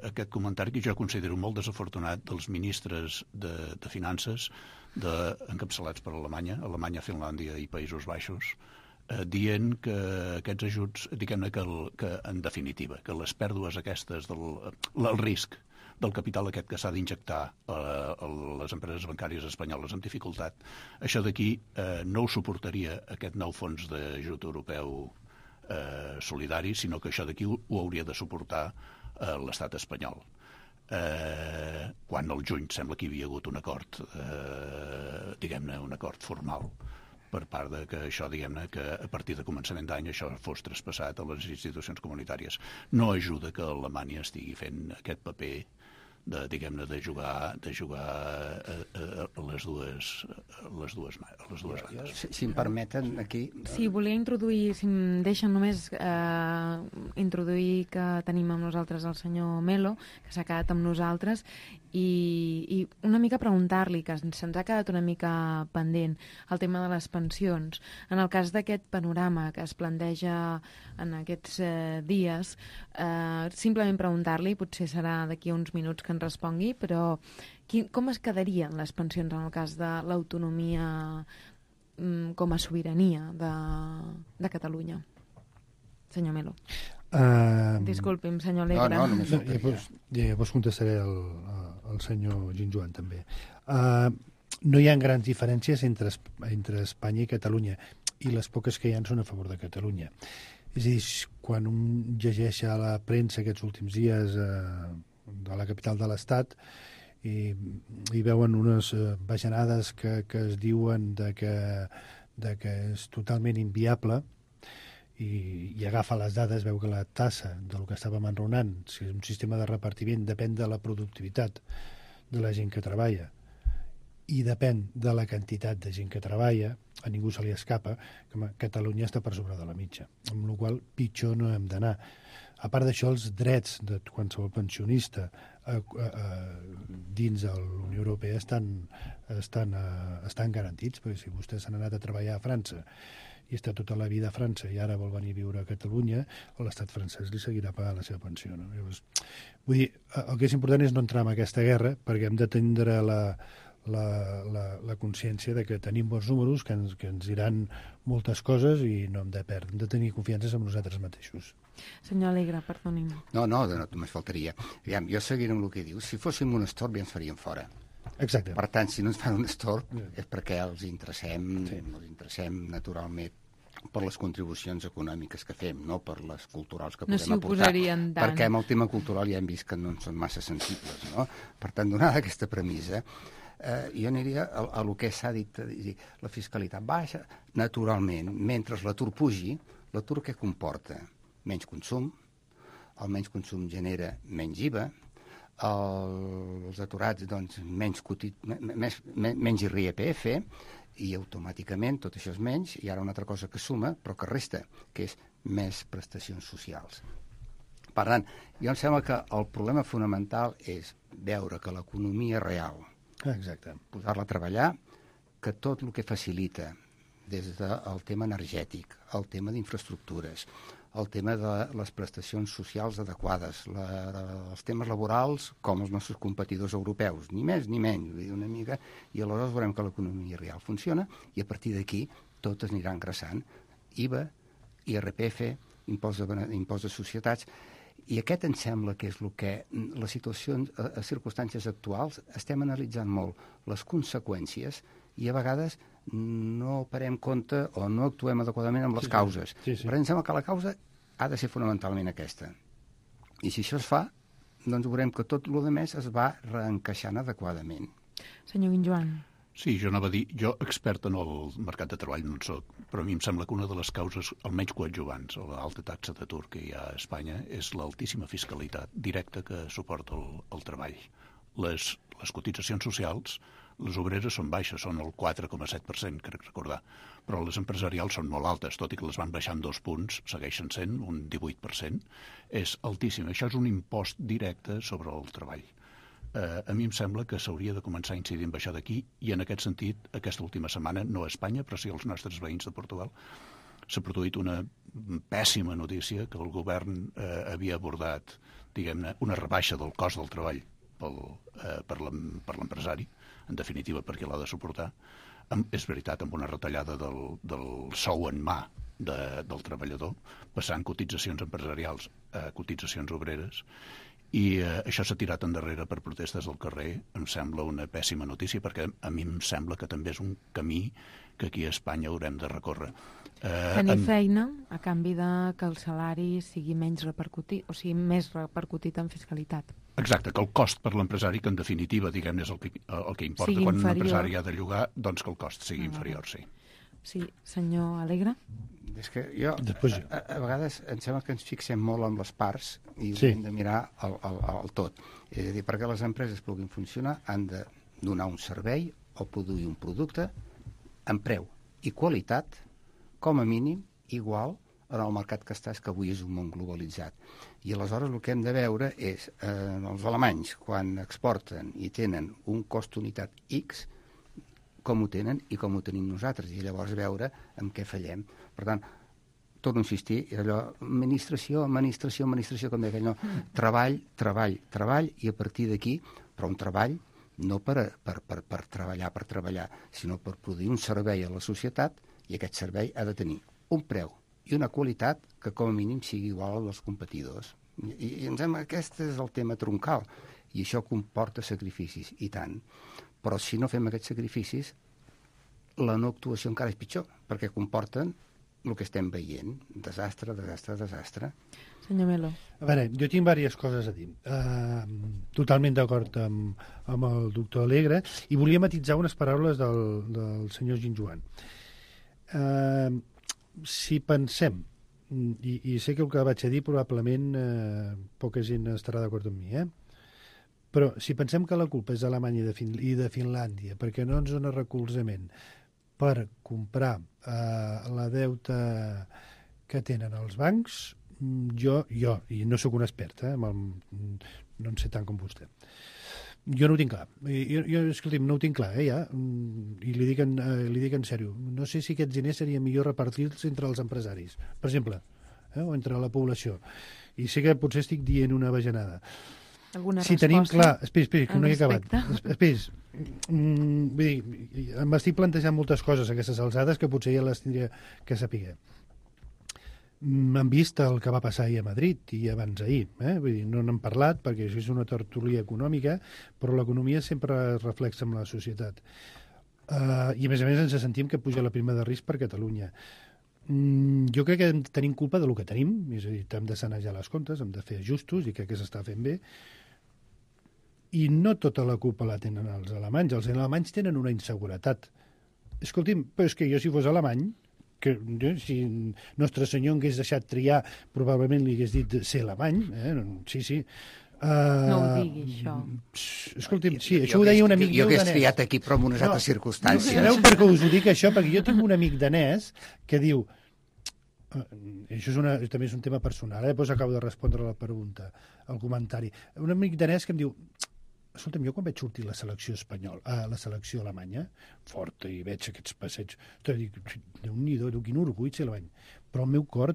aquest comentari que jo considero molt desafortunat dels ministres de Finances encapçalats per Alemanya, Finlàndia i Països Baixos, dient que aquests ajuts, diguem-ne que en definitiva, que les pèrdues aquestes, el risc del capital aquest que s'ha d'injectar a les empreses bancàries espanyoles amb dificultat, això d'aquí no ho suportaria aquest nou fons d'ajut europeu solidari, sinó que això d'aquí ho hauria de suportar l'estat espanyol. Quan al juny sembla que hi havia hagut un acord, diguem-ne, un acord formal per part de que això, diguem-ne, que a partir de començament d'any això fos traspassat a les institucions comunitàries. No ajuda que Alemanya estigui fent aquest paper diguem-ne, de jugar a les dues bandes. Si em permeten, aquí... Sí, volia introduir, si em deixen només introduir que tenim amb nosaltres el senyor Melo, que s'ha quedat amb nosaltres, i una mica preguntar-li, que se'ns ha quedat una mica pendent, el tema de les pensions. En el cas d'aquest panorama que es planteja en aquests dies, simplement preguntar-li, potser serà d'aquí a uns minuts que ens respongui, però com es quedarien les pensions en el cas de l'autonomia com a sobirania de Catalunya? Senyor Melo. Disculpi'm, senyor Alegre. Llavors contestaré al senyor Guinjoan també. No hi ha grans diferències entre Espanya i Catalunya, i les poques que hi ha són a favor de Catalunya. És a dir, quan un llegeix a la premsa aquests últims dies de la capital de l'Estat i veuen unes bajanades que es diuen que és totalment inviable, i agafa les dades, veu que la tassa del que estàvem enraonant, si és un sistema de repartiment, depèn de la productivitat de la gent que treballa i depèn de la quantitat de gent que treballa, a ningú se li escapa que Catalunya està per sobre de la mitja, amb la qual cosa pitjor no hem d'anar. A part d'això, els drets de qualsevol pensionista dins de la Unió Europea estan garantits, perquè si vostès s'han anat a treballar a França i està tota la vida a França i ara vol venir a viure a Catalunya, l'estat francès li seguirà pagant la seva pensió. No? Llavors, vull dir, el que és important és no entrar en aquesta guerra, perquè hem de tindre la consciència de que tenim bons números, que ens diran moltes coses i no hem de perdre, hem de tenir confiança en nosaltres mateixos. Senyor Alegre, perdoni'm. No, només faltaria. Aviam, jo seguiré amb el que diu. Si fóssim un estorb ja ens farien fora. Exacte. Per tant, si no ens fan un estorb és perquè els interessem naturalment per les contribucions econòmiques que fem, no per les culturals que podem aportar. Perquè amb el tema cultural ja hem vist que no en són massa sensibles, no? Per tant, donada aquesta premissa, jo aniria a lo que s'ha dit, la fiscalitat baixa, naturalment, mentre l'atur pugi, l'atur què comporta? Menys consum, el menys consum genera menys IVA, els aturats, doncs, menys IRPF, i automàticament tot això és menys, i ara una altra cosa que suma, però que resta, que és més prestacions socials. Per tant, jo em sembla que el problema fonamental és veure que l'economia real, posar-la a treballar, que tot el que facilita, des del tema energètic, el tema d'infraestructures, el tema de les prestacions socials adequades, els temes laborals com els nostres competidors europeus, ni més ni menys, una mica, i aleshores veurem que l'economia real funciona i a partir d'aquí tot es anirà engraçant. IVA, IRPF, impost de societats, i aquest em sembla que és el que les situacions, les circumstàncies actuals, estem analitzant molt les conseqüències i a vegades no parem compte o no actuem adequadament amb les causes. Però em sembla que la causa ha de ser fonamentalment aquesta. I si això es fa, doncs veurem que tot el més es va reencaixant adequadament. Senyor Guinjoan. Sí, jo anava a dir, jo expert en el mercat de treball no en soc, però a mi em sembla que una de les causes, almenys coadjuvants, a l'alta taxa d'atur que hi ha a Espanya, és l'altíssima fiscalitat directa que suporta el treball. Les cotitzacions socials, les obreres són baixes, són el 4,7%, crec recordar, però les empresarials són molt altes, tot i que les van baixar en 2 punts, segueixen sent un 18%, és altíssim. Això és un impost directe sobre el treball. A mi em sembla que s'hauria de començar a incidir en això d'aquí, i en aquest sentit, aquesta última setmana, no a Espanya, però sí als nostres veïns de Portugal, s'ha produït una pèssima notícia que el govern havia abordat, diguem-ne, una rebaixa del cost del treball per l'empresari, en definitiva perquè l'ha de suportar. És veritat, amb una retallada del sou en mà del treballador, passant cotitzacions empresarials a cotitzacions obreres, i això s'ha tirat endarrere per protestes al carrer. Em sembla una pèssima notícia, perquè a mi em sembla que també és un camí que aquí a Espanya haurem de recórrer. Tenir feina a canvi de que el salari sigui menys repercutit, o sigui, més repercutit en fiscalitat. Exacte, que el cost per l'empresari, que en definitiva, diguem, és el que importa sigui quan inferior. Un empresari ha de llogar, doncs que el cost sigui inferior, sí. Sí, senyor Alegre? És que jo, a vegades em sembla que ens fixem molt en les parts i hem de mirar el tot. És a dir, perquè les empreses puguin funcionar han de donar un servei o produir un producte amb preu i qualitat, com a mínim, igual en el mercat que estàs, que avui és un món globalitzat. I aleshores el que hem de veure és, els alemanys, quan exporten i tenen un cost unitat X, com ho tenen i com ho tenim nosaltres, i llavors veure en què fallem. Per tant, torno a insistir, allò, administració, com deia aquell, no, treball, i a partir d'aquí, però un treball no per treballar, sinó per produir un servei a la societat, i aquest servei ha de tenir un preu i una qualitat que com a mínim sigui igual als competidors. I em sembla que aquest és el tema troncal, i això comporta sacrificis, i tant. Però si no fem aquests sacrificis, la no actuació encara és pitjor, perquè comporten el que estem veient. Desastre. Senyor Melo. A veure, jo tinc diverses coses a dir. Totalment d'acord amb el doctor Alegre, i volia matitzar unes paraules del senyor Guinjoan. Si pensem, i sé que el que vaig a dir probablement poca gent estarà d'acord amb mi, però si pensem que la culpa és d'Alemanya i de Finlàndia perquè no ens dona recolzament per comprar la deuta que tenen els bancs, jo i no sóc un expert, no en sé tant com vostè, jo no ho tinc clar. Escolti'm, no ho tinc clar, ja, i li dic en sèrio. No sé si aquests diners seria millor repartir-los entre els empresaris, per exemple, o entre la població. I sé que potser estic dient una bajanada. Alguna si resposta? Tenim clar... Espera, que no he acabat. Vull dir, m'estic plantejant moltes coses a aquestes alçades que potser ja les tindria que saber. Han vist el que va passar ahir a Madrid i abans ahir. Vull dir, no n'hem parlat perquè això és una tertúlia econòmica, però l'economia sempre es reflexa en la societat. I a més ens sentim que puja la prima de risc per Catalunya. Jo crec que tenim culpa del que tenim, és a dir, hem de sanejar les comptes, hem de fer ajustos i crec que s'està fent bé. I no tota la culpa la tenen els alemanys. Els alemanys tenen una inseguretat. Escolti'm, però és que jo si fos alemany, que si Nostre Senyor hagués deixat triar, probablement li hagués dit ser alemany. Sí. No ho digui, això. Escolti'm, sí, això ho deia un amic meu danès. Jo hagués triat aquí, però en unes altres circumstàncies. Sabeu per què us ho dic, això? Perquè jo tinc un amic danès que diu... Això també és un tema personal, després acabo de respondre a la pregunta, al comentari. Un amic danès que em diu... Escolta'm, jo quan vaig sortir a la selecció alemanya, forta, i veig aquests passeigs, dic, Déu-n'hi-do, quin orgull ser alemany. Però el meu cor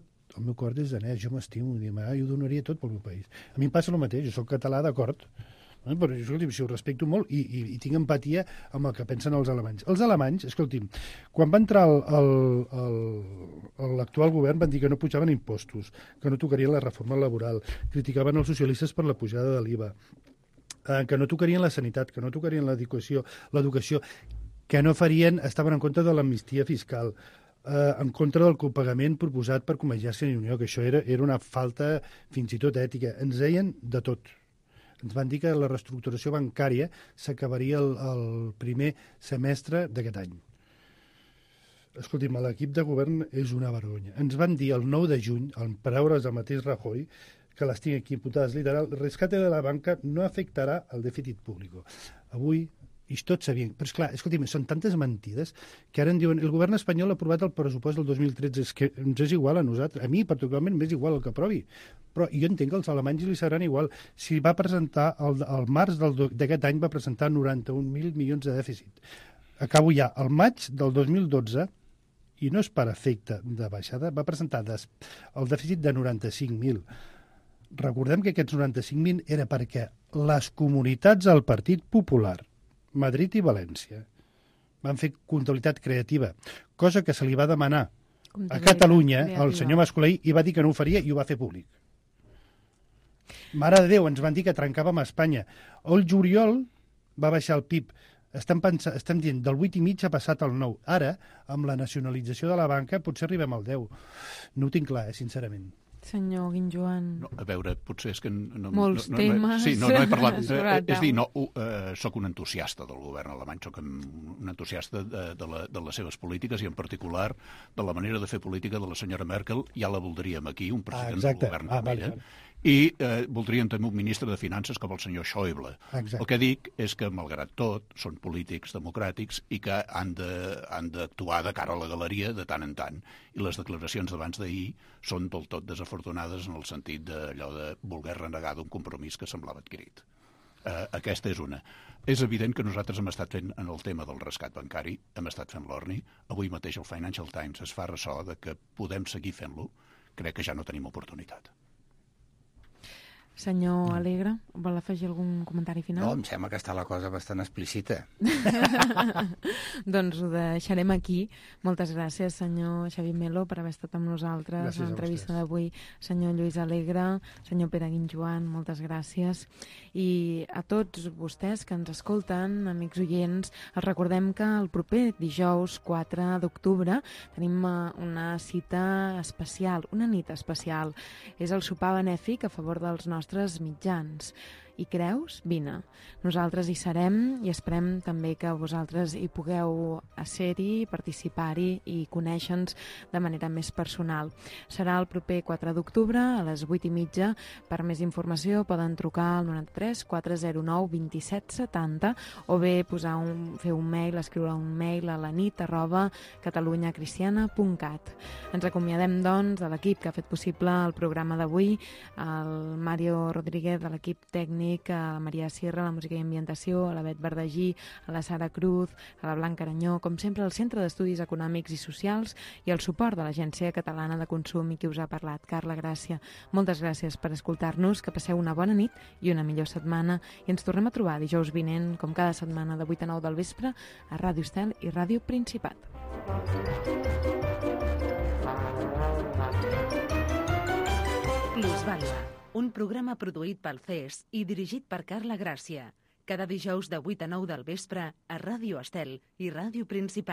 és danès, jo m'estimo, jo donaria tot pel meu país. A mi em passa el mateix, jo soc català, d'acord, però escolti'm, si ho respecto molt i tinc empatia amb el que pensen els alemanys. Els alemanys, escolti'm, quan va entrar l'actual govern van dir que no pujaven impostos, que no tocarien la reforma laboral, criticaven els socialistes per la pujada de l'IVA, que no tocarien la sanitat, que no tocarien l'educació, que no farien, estaven en contra de l'amnistia fiscal, en contra del copagament proposat per Convergència i Unió, que això era una falta fins i tot ètica. Ens deien de tot. Ens van dir que la reestructuració bancària s'acabaria el primer semestre d'aquest any. Escolti'm, l'equip de govern és una vergonya. Ens van dir el 9 de juny, en paraules del mateix Rajoy, que les tinc aquí imputades literal, el rescate de la banca no afectarà el dèficit públic. Avui, i tots sabien, però esclar, escolti'm, són tantes mentides que ara em diuen, el govern espanyol ha aprovat el pressupost del 2013, és que ens és igual a nosaltres, a mi particularment m'és igual el que aprovi, però jo entenc que als alemanys li seran igual. Si va presentar, al març d'aquest any va presentar 91.000 milions de dèficit. Acabo ja, al maig del 2012, i no és per efecte de baixada, va presentar el dèficit de 95.000. Recordem que aquests 95.000 era perquè les comunitats del Partit Popular, Madrid i València, van fer comptabilitat creativa, cosa que se li va demanar a Catalunya al senyor Mascolell i va dir que no ho faria i ho va fer públic. Mare de Déu, ens van dir que trencàvem a Espanya. El juliol va baixar el PIB. Estem dient, del 8,5 ha passat al 9. Ara, amb la nacionalització de la banca, potser arribem al 10. No ho tinc clar, sincerament. Senyor Guinjoan... No, a veure, potser és que... Molts temes... Sí, no he parlat... És dir, soc un entusiasta del govern alemany, soc un entusiasta de les seves polítiques i en particular de la manera de fer política de la senyora Merkel. Ja la voldríem aquí, un president del govern com ella. I voldríem també un ministre de Finances com el senyor Schäuble. Exacte. El que dic és que, malgrat tot, són polítics democràtics i que han d'actuar de cara a la galeria de tant en tant. I les declaracions d'abans d'ahir són del tot desafortunades en el sentit d'allò de voler renegar d'un compromís que semblava adquirit. Aquesta és una. És evident que nosaltres hem estat fent, en el tema del rescat bancari, hem estat fent l'orni. Avui mateix el Financial Times es fa ressò de que podem seguir fent-lo. Crec que ja no tenim oportunitat. Senyor Alegre, vol afegir algun comentari final? No, em sembla que està la cosa bastant explícita. Doncs ho deixarem aquí. Moltes gràcies, senyor Xavier Melo, per haver estat amb nosaltres a l'entrevista d'avui. Senyor Lluís Alegre, senyor Pere Guinjoan, moltes gràcies. I a tots vostès que ens escolten, amics oients, els recordem que el proper dijous 4 d'octubre tenim una cita especial, una nit especial. És el sopar benèfic a favor dels nostres mitjans. Hi creus? Vine. Nosaltres hi serem i esperem també que vosaltres hi pugueu ser-hi, participar-hi i conèixer-nos de manera més personal. Serà el proper 4 d'octubre a les 8:30. Per més informació poden trucar al 93 409 27 70 o bé fer un mail, escriure un mail a lanit@catalunyacristiana.cat. Ens acomiadem, doncs, de l'equip que ha fet possible el programa d'avui, el Mario Rodríguez de l'equip tècnic, a la Maria Sierra, a la música i ambientació, a la Bet Verdagí, a la Sara Cruz, a la Blanca Aranyó, com sempre al Centre d'Estudis Econòmics i Socials i el suport de l'Agència Catalana de Consum i qui us ha parlat, Carla Gràcia. Moltes gràcies per escoltar-nos, que passeu una bona nit i una millor setmana i ens tornem a trobar dijous vinent, com cada setmana de 8 a 9 del vespre, a Ràdio Estel i Ràdio Principat. Plusvàlua, un programa produït pel CES i dirigit per Carla Gràcia. Cada dijous de 8 a 9 del vespre a Ràdio Estel i Ràdio Principat.